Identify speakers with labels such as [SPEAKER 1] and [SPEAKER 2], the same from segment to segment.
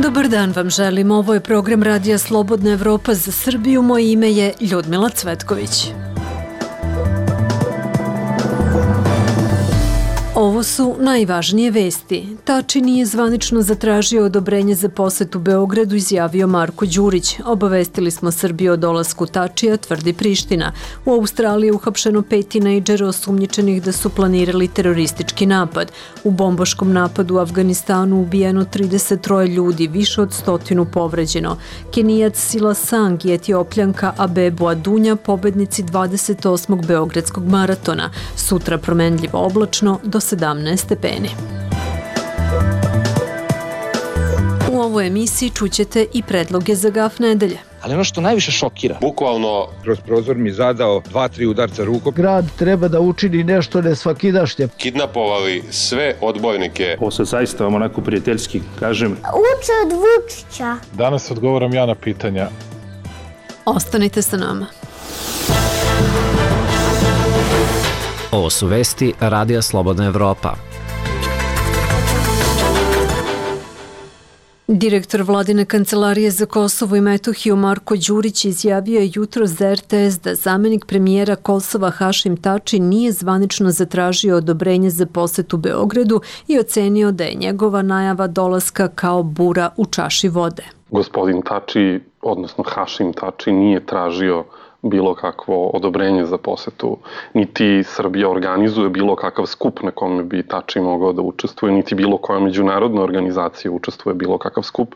[SPEAKER 1] Dobar dan vam želim, ovo je program Radija Slobodna Evropa za Srbiju, moje ime je Ljudmila Cvetković. Ovo su najvažnije vesti. Tači nije zvanično zatražio odobrenje za posetu Beogradu, izjavio Marko Đurić. Obavestili smo Srbiju o dolasku Tačija, tvrdi Priština. U Australiji je uhapšeno 5 tinejdžera osumnjičenih da su planirali teroristički napad. U bombaškom napadu u Afganistanu ubijeno 33 ljudi, više od 100 povređeno. Kenijac Sila Sang i Etiopljanka Abebu Adunja, pobednici 28. Beogradskog maratona. Sutra promenljivo oblačno do 17 stepeni. U ovoj emisiji čućete i predloge za gaf nedelje.
[SPEAKER 2] Ali ono što najviše šokira,
[SPEAKER 3] bukvalno
[SPEAKER 4] kroz prozor mi zadao 2-3 udarca rukom.
[SPEAKER 5] Grad treba da učini nešto nesvakidašnje.
[SPEAKER 3] Kidnapovali sve odbojnike.
[SPEAKER 6] Ovo sad zaista vam onako prijateljski kažem.
[SPEAKER 7] Uče od Vučića.
[SPEAKER 8] Danas odgovaram ja na pitanja.
[SPEAKER 1] Ostanite sa nama.
[SPEAKER 9] Ovo su vesti Radija Slobodna Evropa.
[SPEAKER 1] Direktor Vladine kancelarije za Kosovo i Metohiju Marko Đurić izjavio je jutros za RTS da zamenik premijera Kosova Hašim Tači nije zvanično zatražio odobrenje za posetu Beogradu i ocenio da je njegova najava dolaska kao bura u čaši vode.
[SPEAKER 10] Gospodin Tači, odnosno Hašim Tači, nije tražio bilo kakvo odobrenje za posetu, niti Srbija organizuje bilo kakav skup na kome bi Tači mogao da učestvuje, niti bilo koja međunarodna organizacija učestvuje bilo kakav skup.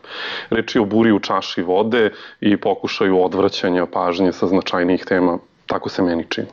[SPEAKER 10] Reč je o buri u čaši vode i pokušaju odvraćanja pažnje sa značajnijih tema, tako se meni čini.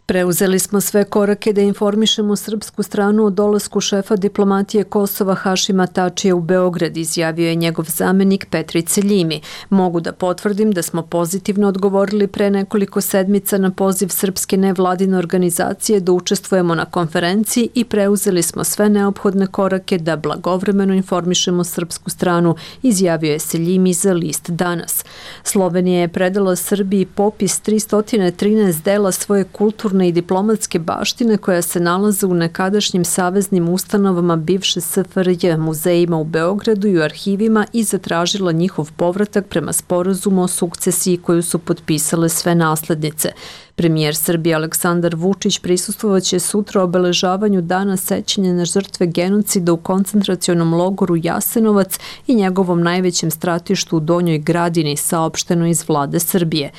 [SPEAKER 1] Preuzeli smo sve korake da informišemo srpsku stranu o dolasku šefa diplomatije Kosova Hašima Tačija u Beograd, izjavio je njegov zamenik Petrice Ljimi. Mogu da potvrdim da smo pozitivno odgovorili pre nekoliko sedmica na poziv srpske nevladine organizacije da učestvujemo na konferenciji i preuzeli smo sve neophodne korake da blagovremeno informišemo srpsku stranu, izjavio je Ljimi za list Danas. Slovenija je predala Srbiji popis 313 dela svoje kulturne i diplomatske baštine koja se nalaze u nekadašnjim saveznim ustanovama bivše SFRJ, muzejima u Beogradu i u arhivima i zatražila njihov povratak prema sporazumu o sukcesiji koju su potpisale sve naslednice. Premijer Srbije Aleksandar Vučić prisustvovaće sutra obeležavanju dana sećanja na žrtve genocida u koncentracionom logoru Jasenovac i njegovom najvećem stratištu u Donjoj Gradini, saopšteno iz vlade Srbije.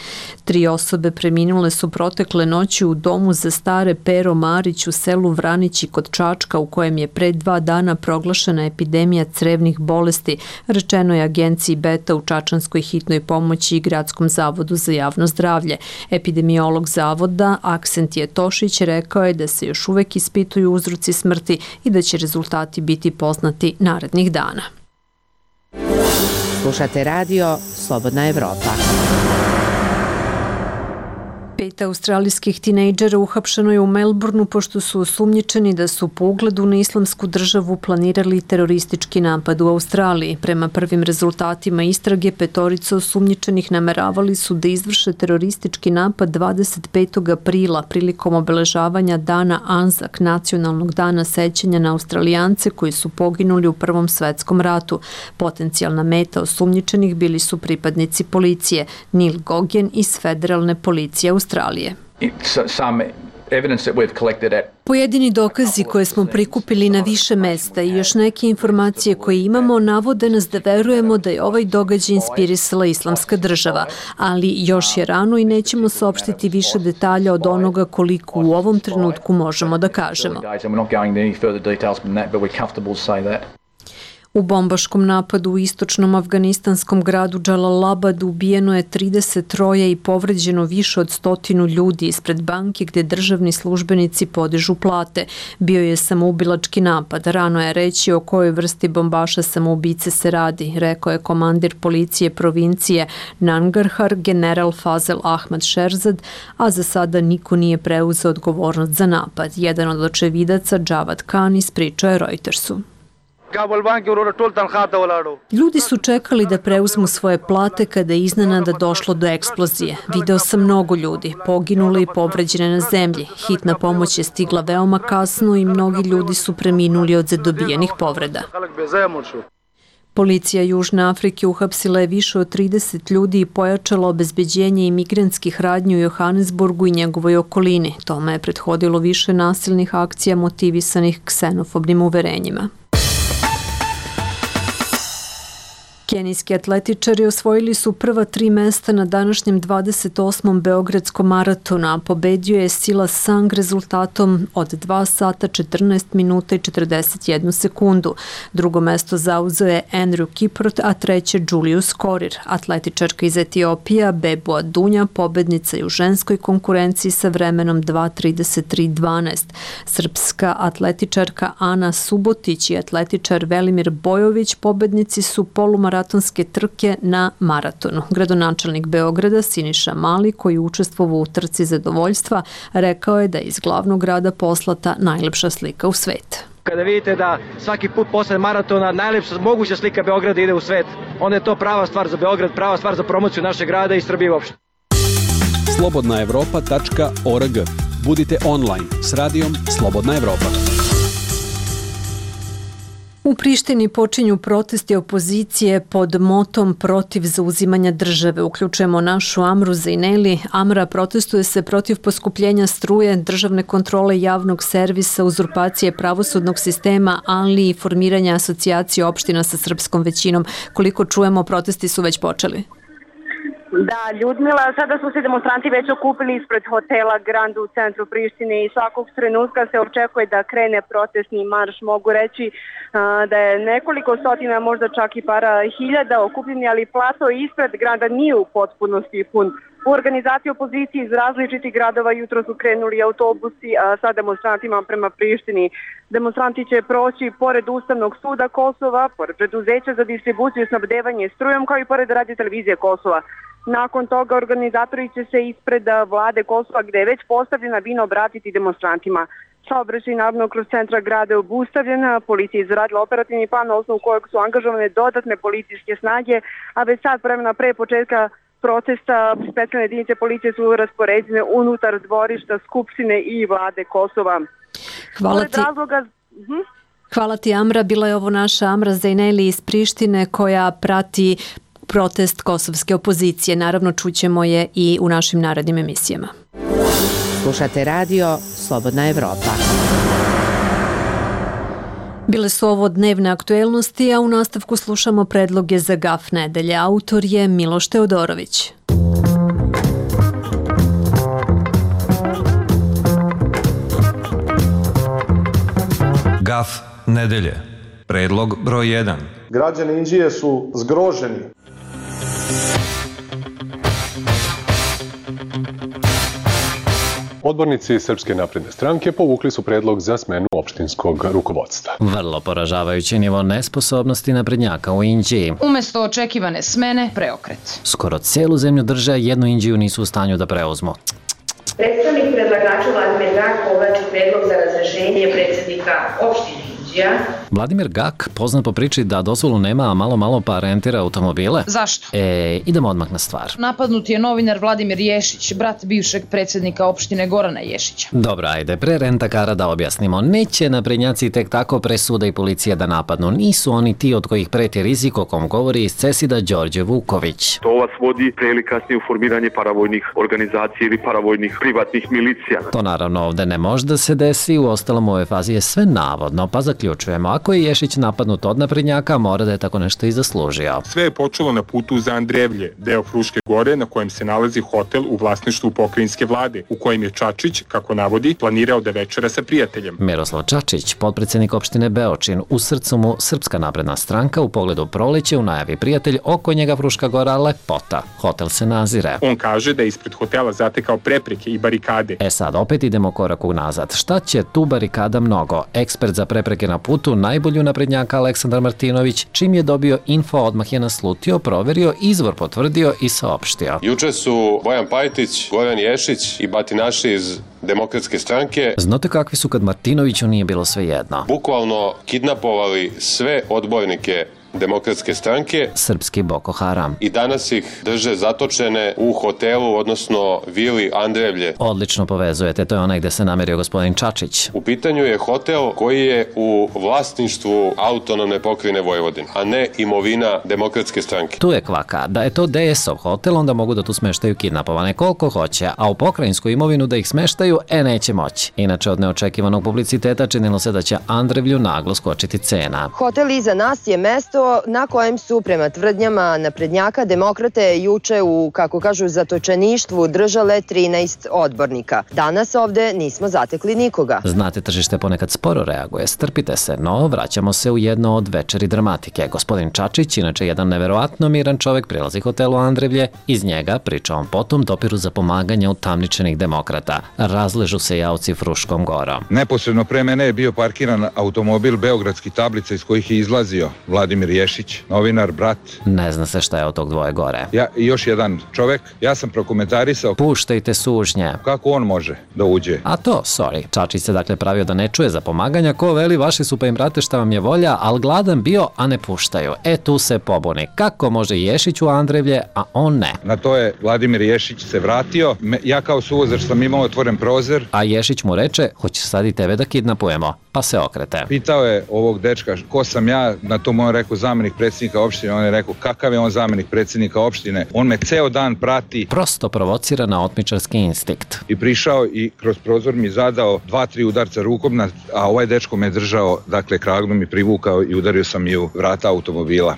[SPEAKER 1] 3 osobe preminule su protekle noći u domu za stare Pero Marić u selu Vranići kod Čačka, u kojem je pre 2 dana proglašena epidemija crevnih bolesti, rečeno je agenciji Beta u Čačanskoj hitnoj pomoći i Gradskom zavodu za javno zdravlje. Epidemiolog zavoda Aksentije Tošić rekao je da se još uvek ispituju uzroci smrti i da će rezultati biti poznati narednih dana.
[SPEAKER 11] Slušate radio Slobodna Evropa.
[SPEAKER 1] 5 australijskih tinejdžera uhapšeno je u Melbourneu pošto su osumnjičeni da su po ugledu na Islamsku državu planirali teroristički napad u Australiji. Prema prvim rezultatima istrage, 5 osumnjičenih nameravali su da izvrše teroristički napad 25. aprila prilikom obeležavanja dana Anzak, nacionalnog dana sećanja na Australijance koji su poginuli u Prvom svetskom ratu. Potencijalna meta osumnjičenih bili su pripadnici policije, Neil Gogen iz Federalne policije Australije. Pojedini dokazi koje smo prikupili na više mesta i još neke informacije koje imamo navode nas da verujemo da je ovaj događaj inspirisala Islamska država, ali još je rano i nećemo saopštiti više detalja od onoga koliko u ovom trenutku možemo da kažemo. U bombaškom napadu u istočnom afganistanskom gradu Džalalabadu ubijeno je 33 i povređeno više od 100 ljudi ispred banke gde državni službenici podižu plate. Bio je samoubilački napad. Rano je reći o kojoj vrsti bombaša samoubice se radi, rekao je komandir policije provincije Nangarhar, general Fazel Ahmad Sherzad, a za sada niko nije preuzeo odgovornost za napad. Jedan od očevidaca, Javad Khan, ispričao je Reutersu. Ljudi su čekali da preuzmu svoje plate kada je iznenada došlo do eksplozije. Video sam mnogo ljudi, poginuli i povređene na zemlji. Hitna pomoć je stigla veoma kasno i mnogi ljudi su preminuli od zadobijenih povreda. Policija Južne Afrike uhapsila je više od 30 ljudi i pojačala obezbeđenje imigrantskih radnji u Johannesburgu i njegovoj okolini. Tome je prethodilo više nasilnih akcija motivisanih ksenofobnim uverenjima. Kenijski atletičari osvojili su prva 3 mesta na današnjem 28. Beogradskom maratonu, a pobedio je Silas Sang rezultatom od 2 sata 14 minuta i 41 sekundu. Drugo mesto zauzeo je Andrew Kiprot, a treće Julius Korir. Atletičarka iz Etiopija Bebo Adunja pobednica je u ženskoj konkurenciji sa vremenom 2:33:12. Srpska atletičarka Ana Subotić i atletičar Velimir Bojović pobednici su polumaratonske trke na maratonu. Gradonačelnik Beograda Siniša Mali, koji učestvovao u trci zadovoljstva, rekao je da je iz glavnog grada poslata najlepša slika u svet.
[SPEAKER 2] Kada vidite da svaki put posle maratona najlepša moguća slika Beograda ide u svet, onda je to prava stvar za Beograd, prava stvar za promociju našeg grada i Srbije uopšte.
[SPEAKER 12] slobodnaevropa.org. Budite online s radijom Slobodna Evropa.
[SPEAKER 1] U Prištini počinju protesti opozicije pod motom protiv zauzimanja države. Uključujemo našu Amru Zejneli. Amra, protestuje se protiv poskupljenja struje, državne kontrole javnog servisa, uzurpacije pravosudnog sistema, ali i formiranja asocijacije opština sa srpskom većinom. Koliko čujemo, protesti su već počeli.
[SPEAKER 13] Da, Ljudmila, sada su se demonstranti već okupili ispred hotela Grand u centru Prištine i svakog trenutka se očekuje da krene protestni marš. Mogu reći da je nekoliko stotina, možda čak i para hiljada okupljeni, ali plato ispred grada nije u potpunosti pun. U organizaciji opozicije iz različitih gradova jutro su krenuli autobusi sa demonstrantima prema Prištini. Demonstranti će proći pored Ustavnog suda Kosova, pored preduzeća za distribuciju i snabdevanje strujom, kao i pored Radio televizije Kosova. Nakon toga organizatori će se ispred vlade Kosova, gde je već postavljena bina, obratiti demonstrantima. Saobraćaj naravno kroz centra grada je obustavljen, policija je izradila operativni plan na osnovu kojeg su angažovane dodatne policijske snage, a već sad vremena pre početka protesta specijalne jedinice policije su raspoređene unutar dvorišta Skupštine i vlade Kosova.
[SPEAKER 1] Hvala ti, Amra. Bila je ovo naša Amra Zejneli iz Prištine koja prati protest kosovske opozicije. Naravno, čućemo je i u našim narednim emisijama.
[SPEAKER 11] Slušate radio Slobodna Evropa.
[SPEAKER 1] Bile su ovo dnevne aktuelnosti, a u nastavku slušamo predloge za GAF nedelje. Autor je Miloš Teodorović.
[SPEAKER 14] GAF nedelje. Predlog broj 1.
[SPEAKER 15] Građani Inđije su zgroženi.
[SPEAKER 3] Odbornici Srpske napredne stranke povukli su predlog za smenu opštinskog rukovodstva.
[SPEAKER 9] Vrlo poražavajući nivo nesposobnosti naprednjaka u Inđiji.
[SPEAKER 16] Umesto očekivane smene, preokret.
[SPEAKER 9] Skoro celu zemlju drže, jednu Inđiju nisu u stanju da preuzmu.
[SPEAKER 17] Predstavnik predlagača Vladimir Gak povlači predlog za razrešenje predsjednika opštine Inđija.
[SPEAKER 9] Vladimir Gak, poznat po priči da dozvolu nema, a malo pa rentira automobile.
[SPEAKER 16] Zašto?
[SPEAKER 9] Idemo odmah na stvar.
[SPEAKER 16] Napadnut je novinar Vladimir Ješić, brat bivšeg predsjednika opštine Gorana Ješića.
[SPEAKER 9] Dobro, ajde, pre rentakara da objasnimo. Neće naprednjaci tek tako presuda i policija da napadnu. Nisu oni ti od kojih preti rizik o kom govori iz CESID-a Đorđe Vuković.
[SPEAKER 18] To vas vodi pre ili kasnije u formiranje paravojnih organizacija ili paravojnih privatnih milicija.
[SPEAKER 9] To naravno ovde ne može da se desi, u ostalom u ovoj fazi je sve navodno, pa zaključujemo. Ako je Ješić napadnut od naprednjaka, mora da je tako nešto i zaslužio.
[SPEAKER 19] Sve je počelo na putu za Andrevlje, deo Fruške gore na kojem se nalazi hotel u vlasništvu pokrajinske vlade, u kojem je Čačić, kako navodi, planirao da večera sa prijateljem.
[SPEAKER 9] Miroslav Čačić, potpredsjednik opštine Beočin, u srcu mu Srpska napredna stranka, u pogledu proleće, u najavi prijatelj, oko njega Fruška gora lepota. Hotel se nazire.
[SPEAKER 19] On kaže da je ispred hotela zatekao prepreke i barikade.
[SPEAKER 9] Sad opet idemo korak unazad. Šta će tu barikada mnogo? Ekspert za prepreke na putu, najbolju naprednjaka Aleksandar Martinović, čim je dobio info, odmah je naslutio, proverio, izvor potvrdio i saopštio.
[SPEAKER 3] Juče su Bojan Pajtić, Goran Ješić i batinaši iz Demokratske stranke.
[SPEAKER 9] Znate kakvi su kad Martinoviću nije bilo sve jedno?
[SPEAKER 3] Bukvalno kidnapovali sve odbornike Demokratske stranke,
[SPEAKER 9] srpski Boko Haram.
[SPEAKER 3] I danas ih drže zatočene u hotelu, odnosno vili Andrevlje.
[SPEAKER 9] Odlično povezujete, to je onaj gde se namerio gospodin Čačić.
[SPEAKER 3] U pitanju je hotel koji je u vlasništvu autonomne pokrajine Vojvodine, a ne imovina Demokratske stranke.
[SPEAKER 9] Tu je kvaka. Da je to DS-ov hotel, onda mogu da tu smeštaju kidnapovane koliko hoće, a u pokrajinsku imovinu da ih smeštaju, neće moći. Inače, od neočekivanog publiciteta činilo se da će Andrevlju naglo skočiti cena.
[SPEAKER 20] Hotel iza nas je mesto na kojem su, prema tvrdnjama naprednjaka, demokrate juče u, kako kažu, zatočeništvu držale 13 odbornika. Danas ovde nismo zatekli nikoga.
[SPEAKER 9] Znate, tržište ponekad sporo reaguje, strpite se, no vraćamo se u jedno od večeri dramatike. Gospodin Čačić, inače jedan neverovatno miran čovek, prilazi hotelu Andrevlje, iz njega, priča on potom, dopiru za pomaganje utamničenih demokrata. Razležu se javci Fruškom gorom.
[SPEAKER 4] Neposredno pre mene je bio parkiran automobil beogradskih tablica iz kojih je izlazio Vladimir Ješić, novinar, brat.
[SPEAKER 9] Ne zna se šta je od tog dvoje gore.
[SPEAKER 4] Ja i još jedan čovek, ja sam prokomentarisao.
[SPEAKER 9] Puštajte sužnje.
[SPEAKER 4] Kako on može da uđe?
[SPEAKER 9] A to, sorry. Čačić se dakle pravio da ne čuje za pomaganja, ko veli vaši su pa im brate šta vam je volja, al gladan bio, a ne puštaju. Tu se pobuni. Kako može Ješić u Andrevlje, a on ne?
[SPEAKER 4] Na to je Vladimir Ješić se vratio, ja kao suvozač sam imao otvoren prozor.
[SPEAKER 9] A Ješić mu reče, hoćeš sad i tebe da kidnapujemo, pa se okrete.
[SPEAKER 4] Pitao je ovog dečka ko sam ja, na to mu on rekao zamenik predsjednika opštine, on je rekao kakav je on zamenik predsjednika opštine, on me ceo dan prati.
[SPEAKER 9] Prosto provocira na otmičarski instinkt.
[SPEAKER 4] I prišao i kroz prozor mi zadao 2-3 udarca rukom, a ovaj dečko me držao, dakle kragnu mi privukao i udario sam i u vrata automobila.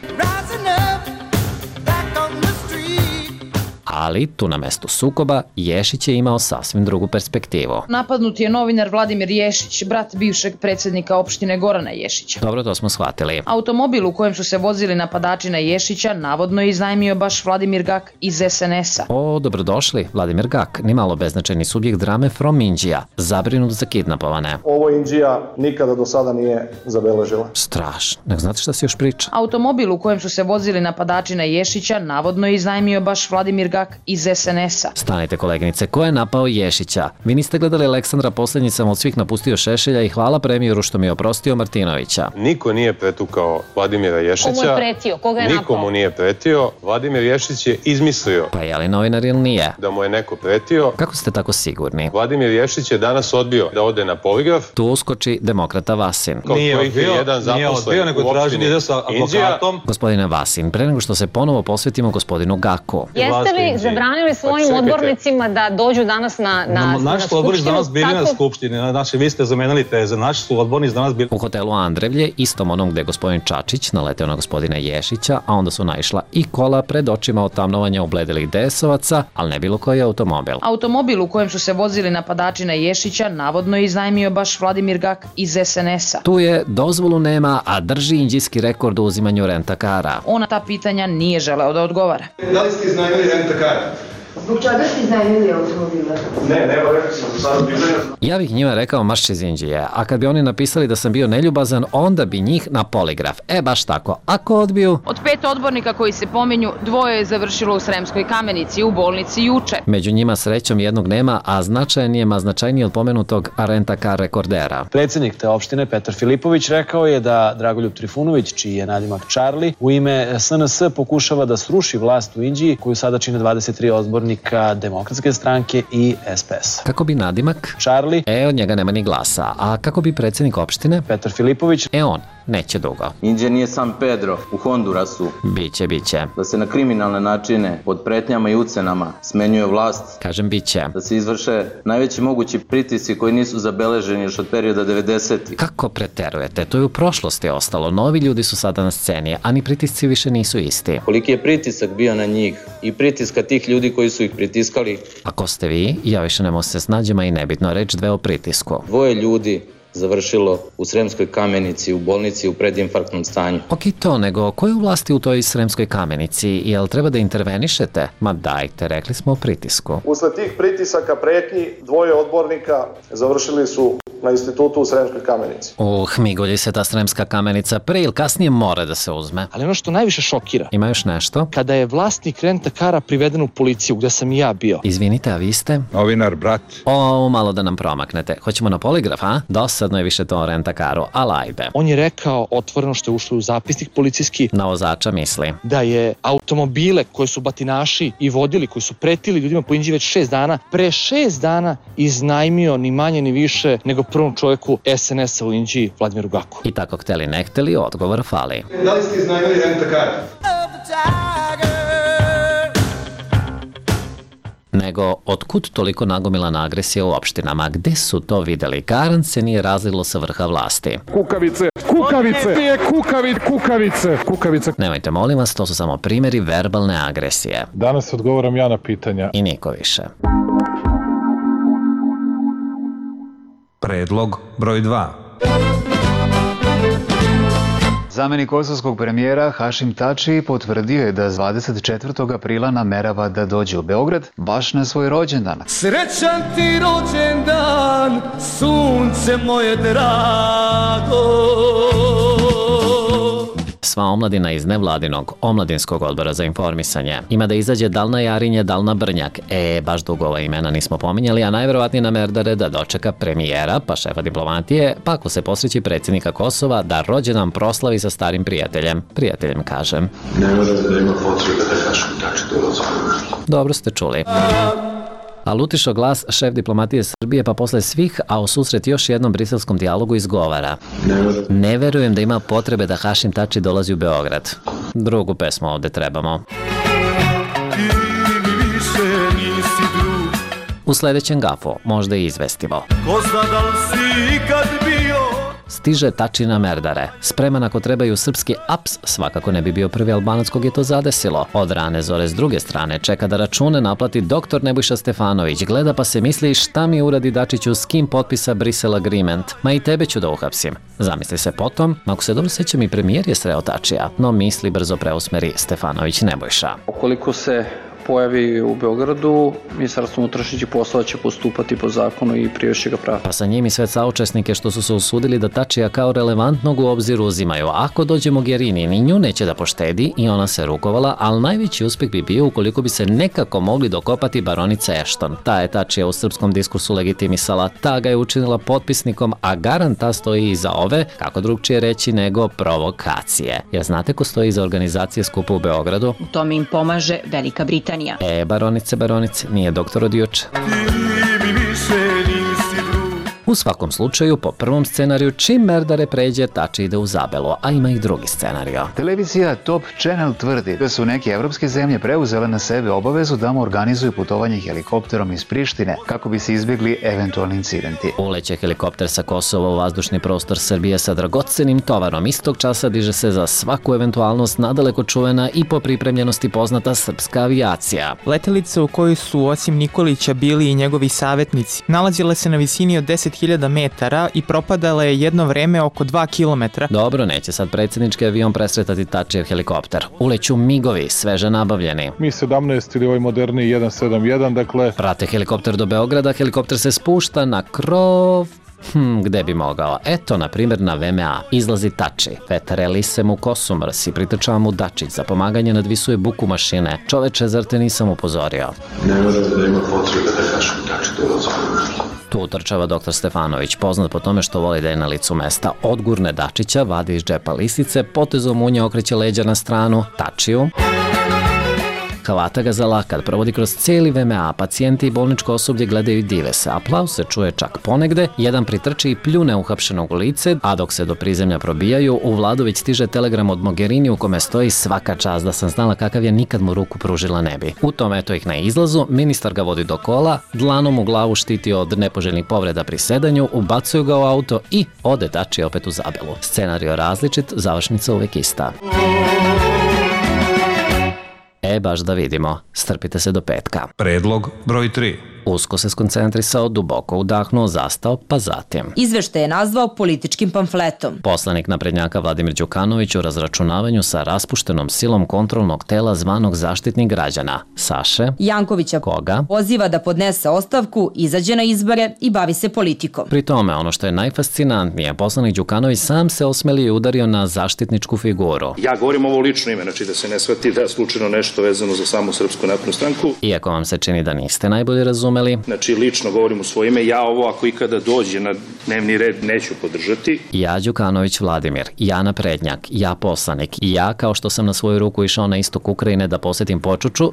[SPEAKER 9] Ali tu na mestu sukoba Ješić je imao sasvim drugu perspektivu.
[SPEAKER 16] Napadnut je novinar Vladimir Ješić, brat bivšeg predsjednika opštine Gorana Ješića.
[SPEAKER 9] Dobro, to smo shvatili.
[SPEAKER 16] Automobil u kojem su se vozili napadači na Ješića navodno je iznajmio baš Vladimir Gak iz SNS-a.
[SPEAKER 9] O, dobrodošli, Vladimir Gak, nimalo beznačajni subjekt drame From Indija, zabrinut za kidnapovane.
[SPEAKER 15] Ovo Indija nikada do sada nije zabeležila.
[SPEAKER 9] Strašno, nek znate šta se još priča.
[SPEAKER 16] Automobil u kojem su se vozili napadači na Ješića navodno je iznajmio baš Vladimir Gak iz SNS-a.
[SPEAKER 9] Stanite koleginice, ko je napao Ješića? Vi niste gledali Aleksandra, poslednji sam od svih napustio Šešelja i hvala premijeru što mi je oprostio Martinovića.
[SPEAKER 3] Niko nije pretukao Vladimira Ješića.
[SPEAKER 21] Komu je pretio? Koga je napao?
[SPEAKER 3] Nikomu nije pretio. Vladimir Ješić je izmislio.
[SPEAKER 9] Pa je li novinar ili nije?
[SPEAKER 3] Da mu je neko pretio.
[SPEAKER 9] Kako ste tako sigurni?
[SPEAKER 3] Vladimir Ješić je danas odbio da ode na poligraf.
[SPEAKER 9] Tu uskoči demokrata Vasin.
[SPEAKER 22] Nije odbio, nego traži ide sa advokatom.
[SPEAKER 9] Gospodine Vasin, pre nego što se ponovo posvetimo gospodinu Gaku.
[SPEAKER 21] Jeste li zabranili svojim odbornicima da dođu danas na skupštinu?
[SPEAKER 22] Naši su odbornici danas bili na skupštini, znači vi ste zamenili teze, naši su odbornici danas bili...
[SPEAKER 9] U hotelu Andrevlje, istom onom gde je gospodin Čačić naleteo na gospodina Ješića, a onda su naišla i kola pred očima otamnovanja ubledelih DS-ovaca, ali ne bilo koji automobil.
[SPEAKER 16] Automobil u kojem su se vozili napadači na Ješića navodno je iznajmio baš Vladimir Gak iz SNS-a.
[SPEAKER 9] Tu je, dozvolu nema, a drži indijski rekord u uzimanju rentakara.
[SPEAKER 16] On na ta pitanja nije želeo da odgovara.
[SPEAKER 15] Da li ste iznajmili rentakar?
[SPEAKER 17] Zbog čega ste iznajmili automobile?
[SPEAKER 15] Ne, rekao sam za sada pitanja.
[SPEAKER 9] Ja bih njima rekao marš iz Indije, a kad bi oni napisali da sam bio neljubazan, onda bi njih na poligraf. Baš tako. Ako odbiju...
[SPEAKER 16] Od 5 odbornika koji se pominju, 2 je završilo u Sremskoj Kamenici, u bolnici juče.
[SPEAKER 9] Među njima srećom jednog nema, a značajniji od pomenutog rentakar rekordera.
[SPEAKER 23] Predsjednik te opštine Petar Filipović rekao je da Dragoljub Trifunović, čiji je nadimak Charlie, u ime SNS pokušava da sruši vlast u Indiji, koju sada čine 23 odbornika Demokratske stranke i SPS.
[SPEAKER 9] Kako bi nadimak?
[SPEAKER 23] Charlie.
[SPEAKER 9] Od njega nema ni glasa. A kako bi predsjednik opštine?
[SPEAKER 23] Petar Filipović.
[SPEAKER 9] On. Neće dugo.
[SPEAKER 24] Indija nije San Pedro u Hondurasu.
[SPEAKER 9] Biće.
[SPEAKER 24] Da se na kriminalne načine, pod pretnjama i ucenama, smenjuje vlast.
[SPEAKER 9] Kažem biće.
[SPEAKER 24] Da se izvrše najveći mogući pritisci koji nisu zabeleženi još od perioda 90-ih.
[SPEAKER 9] Kako preterujete? To je u prošlosti ostalo. Novi ljudi su sada na sceni, a ni pritisci više nisu isti.
[SPEAKER 24] Koliki je pritisak bio na njih i pritiska tih ljudi koji su ih pritiskali?
[SPEAKER 9] Ako ste vi, ja više ne mogu se snađima i nebitno reći 2 o pritisku.
[SPEAKER 24] 2 ljudi završilo u Sremskoj Kamenici, u bolnici u predinfarktnom stanju.
[SPEAKER 9] Ok to, nego ko je u vlasti u toj Sremskoj Kamenici? Jel treba da intervenišete? Ma dajte, rekli smo o pritisku.
[SPEAKER 15] Usled tih pritisaka, pretnji, 2 odbornika završili su na institutu u Sremskoj Kamenici.
[SPEAKER 9] Migolji se ta Sremska Kamenica pre ili kasnije mora da se uzme.
[SPEAKER 5] Ali ono što najviše šokira...
[SPEAKER 9] Ima još nešto?
[SPEAKER 5] Kada je vlasnik rentakara priveden u policiju, gde sam i ja bio.
[SPEAKER 9] Izvinite, a vi ste?
[SPEAKER 4] Novinar, brat.
[SPEAKER 9] Malo da nam promaknete. Hoćemo na poligraf, a? Dosadno je više to o rentakaru, ali ajde.
[SPEAKER 5] On je rekao, otvoreno što je ušlo u zapisnik policijski...
[SPEAKER 9] Na vozača misli.
[SPEAKER 5] Da je automobile koje su batinaši i vodili, koji su pretili ljudima po Inđiji već 6 dana, pre 6 dana iznajmio ni manje ni više nego prvom čovjeku SNS-a u Inđiji, Vladimiru Gaku.
[SPEAKER 9] I tako hteli ne hteli, odgovor fali.
[SPEAKER 15] Da li ste iznajmili rentakar?
[SPEAKER 9] Nego, otkud toliko nagomilana agresija u opštinama? Gde su to videli? Garant se nije razlilo sa vrha vlasti.
[SPEAKER 6] Kukavice, kukavice, kukavice, kukavice.
[SPEAKER 9] Nemojte, molim vas, to su samo primjeri verbalne agresije.
[SPEAKER 6] Danas odgovaram ja na pitanja.
[SPEAKER 9] I niko više.
[SPEAKER 14] Predlog broj 2.
[SPEAKER 7] Zamenik kosovskog premijera Hašim Tači potvrdio je da 24. aprila namerava da dođe u Beograd baš na svoj rođendan.
[SPEAKER 8] Srećan ti rođendan, sunce moje drago.
[SPEAKER 9] Sva omladina iz nevladinog omladinskog odbora za informisanje ima da izađe dal na Jarinje, dal na Brnjak. Baš dugo ova imena nismo pominjali, a najverovatnije na Merdare da dočeka premijera, pa šefa diplomatije, pa ako se posreći predsjednika Kosova da rođendan proslavi sa starim prijateljem. Prijateljem, kažem.
[SPEAKER 15] Ne morate da ima potrebe da Hašim Tači dolazi.
[SPEAKER 9] Dobro ste čuli. Ali utišao glas šef diplomatije Srbije, pa posle svih, a u susret još jednom briselskom dijalogu izgovara. Ne verujem da ima potrebe da Hašim Tači dolazi u Beograd. Drugu pesmu ovde trebamo. U sledećem gafu, možda i izvestivo.
[SPEAKER 8] Ko zna da li si ikad bio?
[SPEAKER 9] Stiže Tačina Merdare. Spreman ako trebaju srpski aps, svakako ne bi bio prvi Albanac kog je to zadesilo. Od rane zore s druge strane čeka da račune naplati doktor Nebojša Stefanović. Gleda pa se misli šta mi uradi Dačiću, s kim potpisa Brisel Agreement. Ma i tebe ću da uhapsim. Zamisli se potom, ako se dobro sećam i premijer je sreo Tačija, no misli brzo preusmeri Stefanović Nebojša.
[SPEAKER 25] Ukoliko se pojavi u Beogradu, Ministarstvo unutrašnjih poslova će postupati po zakonu i privešće ga prava.
[SPEAKER 9] Pa sa njim i sve saučesnike što su se usudili da Tačija kao relevantnog u obzir uzimaju. Ako dođe Mogherini, ni nju neće da poštedi i ona se rukovala, ali najveći uspeh bi bio ukoliko bi se nekako mogli dokopati baronice Ashton. Ta je Tačija u srpskom diskursu legitimisala, ta ga je učinila potpisnikom, a garant ta stoji iza ove, kako drugčije reći nego provokacije. Jer znate ko stoji iza organizacije skupa u Beogradu?
[SPEAKER 26] U tome im pomaže Velika Britanija.
[SPEAKER 9] Baronice, nije doktor od juče. U svakom slučaju, po prvom scenariju, čim Merdare pređe, Tači ide u Zabelu, a ima i drugi scenario.
[SPEAKER 7] Televizija Top Channel tvrdi da su neke evropske zemlje preuzele na sebe obavezu da mu organizuju putovanje helikopterom iz Prištine kako bi se izbjegli eventualni incidenti.
[SPEAKER 9] Uleće helikopter sa Kosova u vazdušni prostor Srbije sa dragocenim tovarom. Istog časa diže se za svaku eventualnost nadaleko čuvena i po pripremljenosti poznata srpska avijacija.
[SPEAKER 27] Letelica u kojoj su osim Nikolića bili i njegovi savjetnici nalazila se na visini od 10.000 metara i propadala je jedno vreme oko 2 kilometra.
[SPEAKER 9] Dobro, neće sad predsjednički avion presretati Tačijev helikopter. Uleću migovi, sveže nabavljeni.
[SPEAKER 6] Mi-17 ili ovaj moderni 171, dakle...
[SPEAKER 9] Prate helikopter do Beograda, helikopter se spušta na krov... Gde bi mogao? Eto, na primjer, na VMA. Izlazi Tači. Vetareli se mu kosu mrsi, pritrčava mu Dačić. Za pomaganje nadvisuje buku mašine. Čoveče, zar te nisam upozorio?
[SPEAKER 15] Ne morate da ima potrebe da Hašim Tači dolazi.
[SPEAKER 9] Tu utrčava doktor Stefanović, poznat po tome što voli da je na licu mesta. Odgurne Dačića, vadi iz džepa lisice, potezom munje okreće leđa na stranu, Tačiju. Hvata ga za lakat, provodi kroz cijeli VMA, pacijenti i bolničko osoblje gledaju i dive se. Aplauz se čuje čak ponegde, jedan pritrči i pljune uhapšenog u lice, a dok se do prizemlja probijaju, u Vladu već stiže telegram od Mogherini u kome stoji svaka čast da sam znala kakav je, nikad mu ruku pružila ne bi. U tom eto ih na izlazu, ministar ga vodi do kola, dlanom u glavu štiti od nepoželjnih povreda pri sedanju, ubacuju ga u auto i ode Tači opet u Zabelu. Scenario različit, završnica uvek ista. Baš da vidimo. Strpite se do petka.
[SPEAKER 14] Predlog broj 3.
[SPEAKER 9] Usko se skoncentrisao, duboko udahnuo, zastao, pa zatim.
[SPEAKER 1] Izveštaj je nazvao političkim pamfletom.
[SPEAKER 9] Poslanik naprednjaka Vladimir Đukanović u razračunavanju sa raspuštenom silom kontrolnog tela zvanog Zaštitnik građana, Saše
[SPEAKER 1] Jankovića,
[SPEAKER 9] koga
[SPEAKER 1] poziva da podnese ostavku, izađe na izbore i bavi se politikom.
[SPEAKER 9] Pri tome, ono što je najfascinantnije, poslanik Đukanović sam se osmelio i udario na zaštitničku figuru.
[SPEAKER 2] Ja govorim ovo lično ime, znači da se ne shvati da je slučajno nešto vezano za samu Srpsku naprednu stranku.
[SPEAKER 9] Iako vam se čini da niste najbolje razumeli.
[SPEAKER 2] Znači, lično govorim u svoje ime, ja ovo ako ikada dođe na dnevni red neću podržati.
[SPEAKER 9] Ja Đukanović Vladimir, ja naprednjak, ja poslanik, ja kao što sam na svoju ruku išao na istok Ukrajine da posetim Počuču,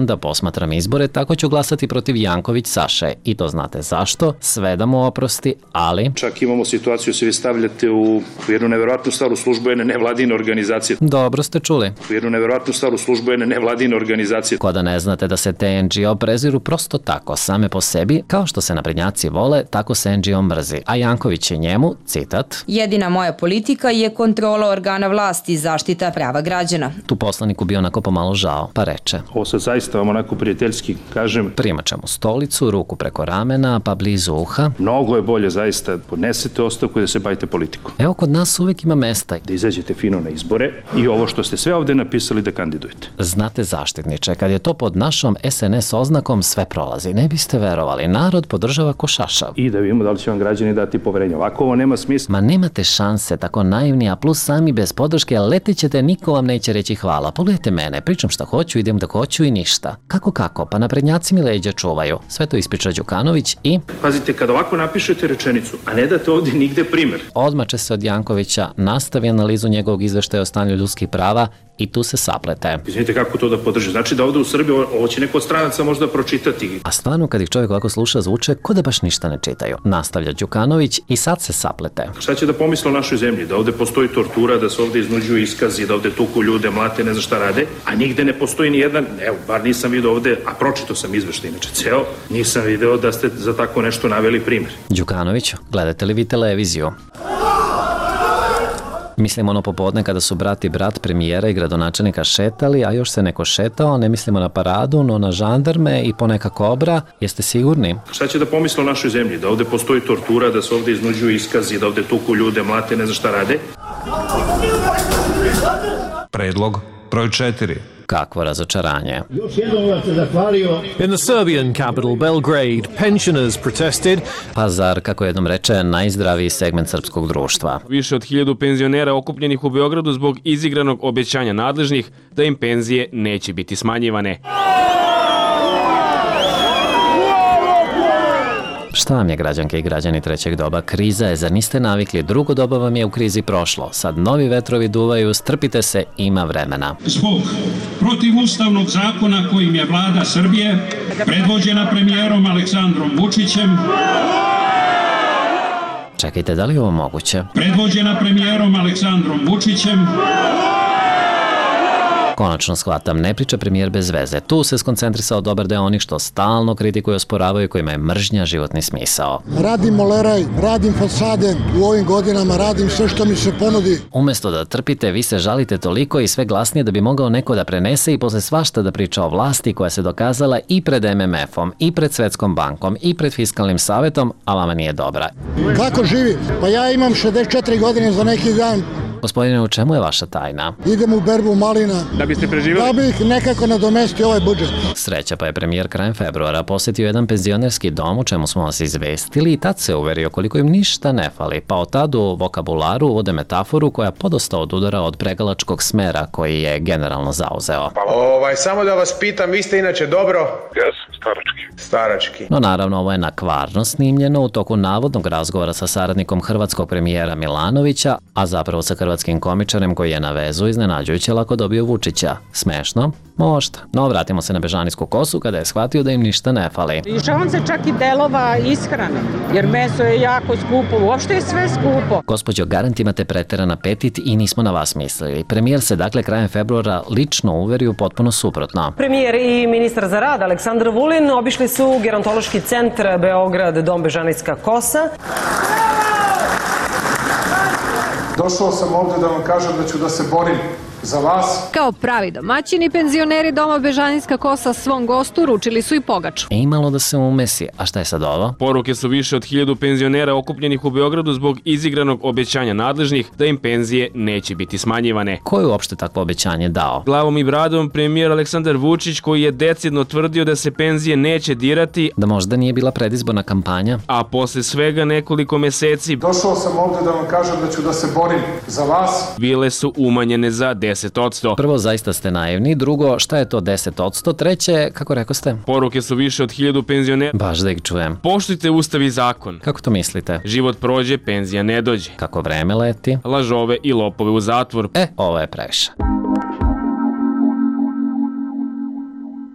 [SPEAKER 9] da posmatram izbore, tako ću glasati protiv Janković Saše. I to znate zašto, sve da mu oprosti, ali...
[SPEAKER 2] Čak imamo situaciju, se vi stavljate u jednu neverovatnu stvar u službu jedne nevladine organizacije.
[SPEAKER 9] Dobro ste čuli.
[SPEAKER 2] U jednu neverovatnu stvar u službu jedne nevladine organizacije.
[SPEAKER 9] Ko da ne znate da se te NGO preziru prosto tako, same po sebi, kao što se naprednjaci vole, tako se NGO mrzi. A Janković je njemu, citat,
[SPEAKER 1] jedina moja politika je kontrola organa vlasti i zaštita prava građana.
[SPEAKER 9] Tu poslaniku bio onako pomalo žao, pa reče.
[SPEAKER 2] Ovo sad zaista vam onako prijateljski kažem.
[SPEAKER 9] Primaće mu stolicu, ruku preko ramena, pa blizu uha.
[SPEAKER 2] Mnogo je bolje zaista podnesete ostavku i da se bavite politikom.
[SPEAKER 9] Evo kod nas uvijek ima mesta.
[SPEAKER 2] Da izađete fino na izbore i ovo što ste sve ovde napisali da kandidujete.
[SPEAKER 9] Znate zaštitniče, kad je to pod našom SNS oznakom sve prolazi. Ne biste verovali, narod podržava ko šašav.
[SPEAKER 2] I da vidimo da li će vam građani dati poverenje. Ovako ovo nema smisla.
[SPEAKER 9] Ma nemate šanse, tako naivni, a plus sami bez podrške letit ćete, niko vam neće reći hvala. Pogledajte mene, pričam šta hoću, idem da hoću i ništa. Kako, pa naprednjaci mi leđa čuvaju. Sve to ispriča Đukanović i...
[SPEAKER 2] Pazite, kad ovako napišete rečenicu, a ne date ovdje nigde primer.
[SPEAKER 9] Odmače se od Jankovića, nastavi analizu njegovog izveštaja o stanju ljudskih prava i tu se saplete.
[SPEAKER 2] Izvinite kako to da podrži. Znači da ovdje u Srbiji ovo će neko od stranaca možda pročitati.
[SPEAKER 9] A stvarno kad ih čovjek ovako sluša zvuče ko da baš ništa ne čitaju. Nastavlja Đukanović i sad se saplete.
[SPEAKER 2] Šta će da pomisle o našoj zemlji? Da ovdje postoji tortura, da se ovdje iznuđuju iskazi, da ovdje tuku ljude, mlate, ne znam šta rade, a nigde ne postoji ni jedan, evo, bar nisam vidio ovdje, a pročitao sam izveštaj, inače ceo, nisam video da ste za tako nešto naveli primjer.
[SPEAKER 9] Đukanović, gledate li vi televiziju? Mislim ono popodne kada su brat i brat premijera i gradonačelnika šetali, a još se neko šetao, ne mislimo na paradu, no na žandarme i poneka kobra, jeste sigurni?
[SPEAKER 2] Šta će da pomisle o našoj zemlji? Da ovdje postoji tortura, da se ovdje iznuđuju iskazi, da ovdje tuku ljude, mlate, ne znam šta rade?
[SPEAKER 14] Predlog broj 4.
[SPEAKER 9] Kakvo razočaranje.
[SPEAKER 10] Još jednom vam se zahvalio.
[SPEAKER 11] In the Serbian capital Belgrade, pensioners protested.
[SPEAKER 9] Pazar, kako jednom reče, najzdraviji segment srpskog društva.
[SPEAKER 12] Više od 1000 penzionera okupljenih u Beogradu zbog izigranog obećanja nadležnih da im penzije neće biti smanjivane.
[SPEAKER 9] Šta vam je, građanke i građani trećeg doba? Kriza je, zar niste navikli? Drugo doba vam je u krizi prošlo. Sad novi vetrovi duvaju, strpite se, ima vremena.
[SPEAKER 13] Zbog protivustavnog zakona kojim je vlada Srbije, predvođena premijerom Aleksandrom Vučićem,
[SPEAKER 9] čekajte, da li je ovo moguće?
[SPEAKER 13] Predvođena premijerom Aleksandrom Vučićem,
[SPEAKER 9] konačno shvatam, ne priča premijer bez veze. Tu se skoncentrisao dobar deo onih što stalno kritikuju i osporavaju, kojima je mržnja životni smisao.
[SPEAKER 18] Radim moleraj, radim fasade, u ovim godinama radim sve što mi se ponudi.
[SPEAKER 9] Umesto da trpite, vi se žalite toliko i sve glasnije da bi mogao neko da prenese i posle svašta da priča o vlasti koja se dokazala i pred MMF-om, i pred Svetskom bankom, i pred Fiskalnim savetom, a vama nije dobra.
[SPEAKER 18] Kako živim? Pa ja imam 64 godine za neki dan.
[SPEAKER 9] Gospodine, u čemu je vaša tajna?
[SPEAKER 18] Idem u berbu malina.
[SPEAKER 12] Da biste preživjeli?
[SPEAKER 18] Da bih nekako nadomestio ovaj budžet.
[SPEAKER 9] Sreća, pa je premijer krajem februara posjetio jedan penzionerski dom, u čemu smo vas izvestili, i tad se uverio koliko im ništa ne fali, pa od tad u vokabularu uvode metaforu koja podosta odudara od pregalačkog smera koji je generalno zauzeo.
[SPEAKER 28] Samo da vas pitam, vi ste inače dobro?
[SPEAKER 13] Jes, starački.
[SPEAKER 9] No naravno, ovo je nakvarno snimljeno u toku navodnog razgovora sa saradnikom hrvatskog premijera Milanovića, a zapravo sa hrvatskim komičarem koji je na vezu iznenađujuće lako dobio Vučića. Smešno? Možda. No, vratimo se na bežanijsku kosu kada je shvatio da im ništa ne fali.
[SPEAKER 21] Lišavam se čak i delova ishrane, jer meso je jako skupo, uopšte je sve skupo.
[SPEAKER 9] Gospođo, garant imate preteran apetit i nismo na vas mislili. Premijer se dakle krajem februara lično uverio potpuno suprotno.
[SPEAKER 29] Premijer i ministar za rad Aleksandar Vulin obišli su gerontološki centar Beograd, dom Bežanijska kosa.
[SPEAKER 15] Došao sam ovdje da vam kažem da ću da se borim
[SPEAKER 6] za vas.
[SPEAKER 3] Kao pravi domaćini, penzioneri Doma Bežanijska kosa svom gostu uručili su i pogaču.
[SPEAKER 9] Imalo da se umesi, a šta je sad ovo?
[SPEAKER 12] Poruke su više od 1000 penzionera okupljenih u Beogradu zbog izigranog obećanja nadležnih da im penzije neće biti smanjivane.
[SPEAKER 9] Ko je uopšte takvo obećanje dao?
[SPEAKER 12] Glavom i bradom premijer Aleksandar Vučić, koji je decidno tvrdio da se penzije neće dirati,
[SPEAKER 9] da možda nije bila predizborna kampanja,
[SPEAKER 12] a posle svega nekoliko meseci
[SPEAKER 6] došao sam ovde da vam kažem da ću da se borim za vas.
[SPEAKER 12] Bile su umanjene za 10%.
[SPEAKER 9] Prvo, zaista ste naivni. Drugo, šta je to 10%? Treće, kako rekao ste?
[SPEAKER 12] Poruke su više od 1000 penzionera.
[SPEAKER 9] Baš da ih čujem.
[SPEAKER 12] Poštujte ustav i zakon.
[SPEAKER 9] Kako to mislite?
[SPEAKER 12] Život prođe, penzija ne dođe.
[SPEAKER 9] Kako vreme leti?
[SPEAKER 12] Lažove i lopove u zatvor.
[SPEAKER 9] Ovo je previše.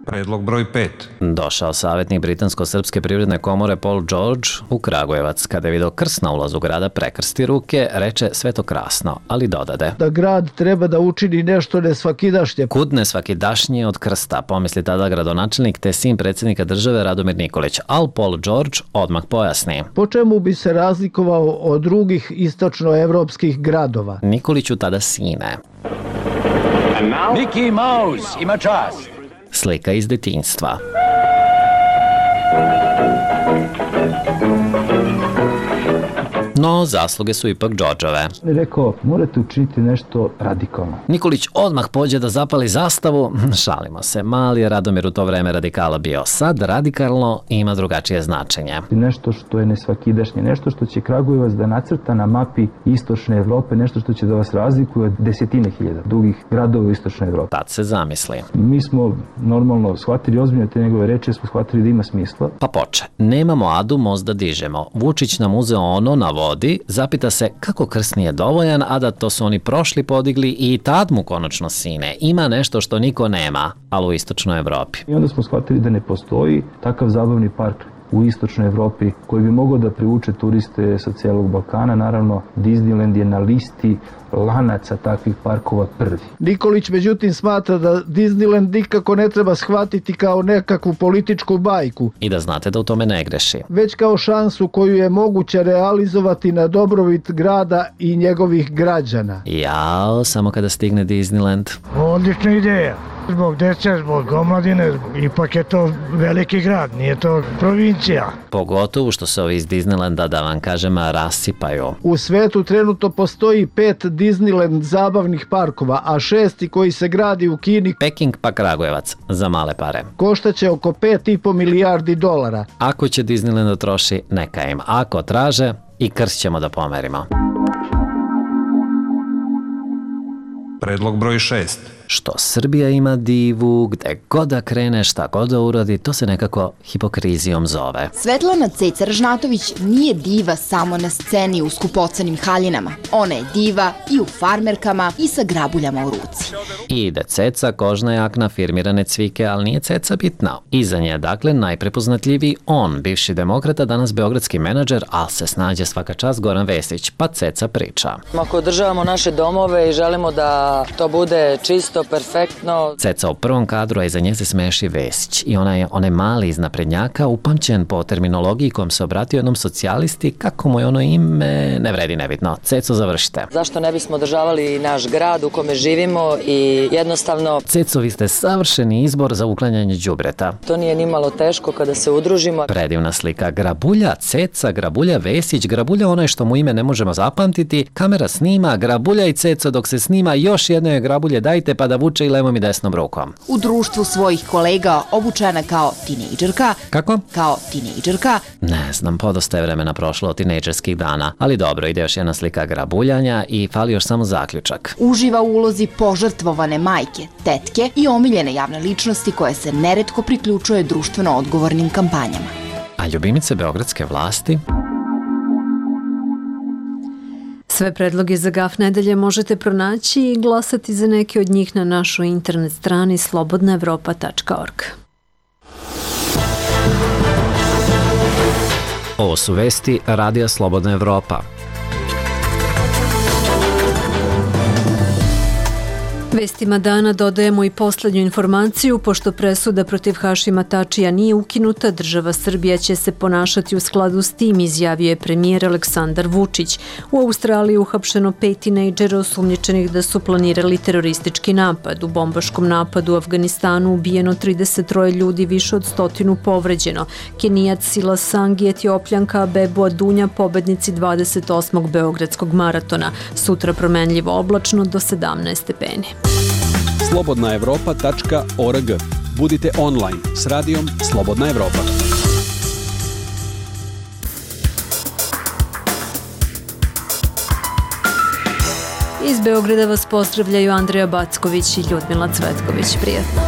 [SPEAKER 14] Predlog broj 5.
[SPEAKER 9] Došao savjetnik Britansko-srpske privredne komore Paul George u Kragujevac. Kada je video krst na ulazu grada, prekrsti ruke, reče sve to krasno, ali dodade
[SPEAKER 10] da grad treba da učini nešto nesvakidašnje.
[SPEAKER 9] Kud nesvakidašnje od krsta, pomisli tada gradonačelnik te sin predsjednika države Radomir Nikolić, al Paul George odmah pojasni.
[SPEAKER 10] Po čemu bi se razlikovao od drugih istočnoevropskih gradova?
[SPEAKER 9] Nikoliću tada sine.
[SPEAKER 4] Mickey Mouse ima čast.
[SPEAKER 9] Slika iz detinjstva. No, zasluge su ipak Đorđove.
[SPEAKER 10] Rekao, morate učiniti nešto radikalno.
[SPEAKER 9] Nikolić odmah pođe da zapali zastavu. Šalimo se, mali je Radomir u to vreme radikala bio. Sad radikalno ima drugačije značenje.
[SPEAKER 10] Nešto što je nesvakidašnje, nešto što će Kragujevac da nacrta na mapi istočne Evrope, nešto što će da vas razlikuje od desetine hiljada drugih gradova u istočnoj Evropi.
[SPEAKER 9] Tad se zamisli.
[SPEAKER 10] Mi smo normalno shvatili ozbiljno te njegove reči, smo shvatili da ima smisla.
[SPEAKER 9] Pa poče. Nemamo adu, most da dižemo. Vučić nam uzeo ono na vodi, zapita se kako krst nije dovoljan, a da to su oni prošli podigli i tad mu konačno sine. Ima nešto što niko nema, ali u istočnoj Evropi.
[SPEAKER 10] I onda smo shvatili da ne postoji takav zabavni park u istočnoj Evropi koji bi mogao da privuče turiste sa cijelog Balkana. Naravno, Disneyland je na listi lanaca takvih parkova prvi. Nikolić međutim smatra da Disneyland nikako ne treba shvatiti kao nekakvu političku bajku.
[SPEAKER 9] I da znate da u tome ne greši.
[SPEAKER 10] Već kao šansu koju je moguće realizovati na dobrobit grada i njegovih građana.
[SPEAKER 9] Jao, samo kada stigne Disneyland.
[SPEAKER 10] Odlična ideja. Zbog dece, zbog omladine, ipak je to veliki grad, nije to provincija.
[SPEAKER 9] Pogotovo što se ovi iz Disneylanda, da vam kažem, rasipaju.
[SPEAKER 10] U svetu trenutno postoji 5 Disneyland zabavnih parkova, a 6. koji se gradi u Kini,
[SPEAKER 9] Peking pa Kragujevac, za male pare.
[SPEAKER 10] Koštaće oko $5,5 milijardi.
[SPEAKER 9] Ako će Disneyland da troši, neka im. Ako traže, i krst ćemo da pomerimo.
[SPEAKER 14] Predlog broj 6.
[SPEAKER 9] Što Srbija ima divu, gde god da krene, šta god da uradi, to se nekako hipokrizijom zove.
[SPEAKER 16] Svetlana Ceca Ražnatović nije diva samo na sceni u skupocenim haljinama. Ona je diva i u farmerkama i sa grabuljama u ruci.
[SPEAKER 9] I ide Ceca, kožna jakna, firmirane cvike, ali nije Ceca bitna. Iza nje je dakle najprepoznatljiviji on, bivši demokrata, danas beogradski menadžer, ali se snađe svaka čast Goran Vesić, pa Ceca priča.
[SPEAKER 17] Ako održavamo naše domove i želimo da to bude čisto, perfektno.
[SPEAKER 9] Ceca u prvom kadru, a iza nje se smeši Vesić. I onaj mali iz naprednjaka, upamćen po terminologiji kojom se obratio jednom socijalisti, kako mu je ono ime, ne vredi nebitno. Ceco, završite.
[SPEAKER 17] Zašto ne bismo održavali naš grad u kome živimo i jednostavno...
[SPEAKER 9] Ceco, vi ste savršeni izbor za uklanjanje đubreta.
[SPEAKER 17] To nije ni malo teško kada se udružimo.
[SPEAKER 9] Predivna slika. Grabulja Ceca, Grabulja Vesić, Grabulja onaj što mu ime ne možemo zapamtiti, kamera snima, Grabulja i Ceco dok se snima, još jedno je Grabulje dajte pa da vuče i levom i desnom rukom.
[SPEAKER 16] U društvu svojih kolega obučena kao tinejdžerka.
[SPEAKER 9] Kako?
[SPEAKER 16] Kao tinejdžerka.
[SPEAKER 9] Ne znam, podosta je vremena prošlo od tinejdžerskih dana, ali dobro, ide još jedna slika grabuljanja i fali još samo zaključak.
[SPEAKER 16] Uživa u ulozi požrtvovane majke, tetke i omiljene javne ličnosti koje se neretko priključuje društveno odgovornim kampanjama.
[SPEAKER 9] A ljubimice beogradske vlasti?
[SPEAKER 3] Sve predloge za GAF nedelje možete pronaći i glasati za neke od njih na našoj internet strani slobodnaevropa.org.
[SPEAKER 9] Ovo su vesti Radija Slobodna Evropa.
[SPEAKER 3] vijestima dana dodajemo i poslednju informaciju. Pošto presuda protiv Hašima Tačija nije ukinuta, država Srbija će se ponašati u skladu s tim, izjavio je premijer Aleksandar Vučić. U Australiji uhapšeno 5 tinejdžera osumnjičenih da su planirali teroristički napad. U bombaškom napadu u Afganistanu ubijeno 33 ljudi, više od 100 povređeno. Kenijac Sila Sang i Etiopljanka Bebu Adunja, pobednici 28. Beogradskog maratona. Sutra promenljivo oblačno do 17 stepeni.
[SPEAKER 5] slobodnaevropa.org. Budite online s radijom Slobodna Evropa.
[SPEAKER 3] Iz Beograda vas pozdravljaju Andreja Backović i Ljudmila Cvetković. Prijatno.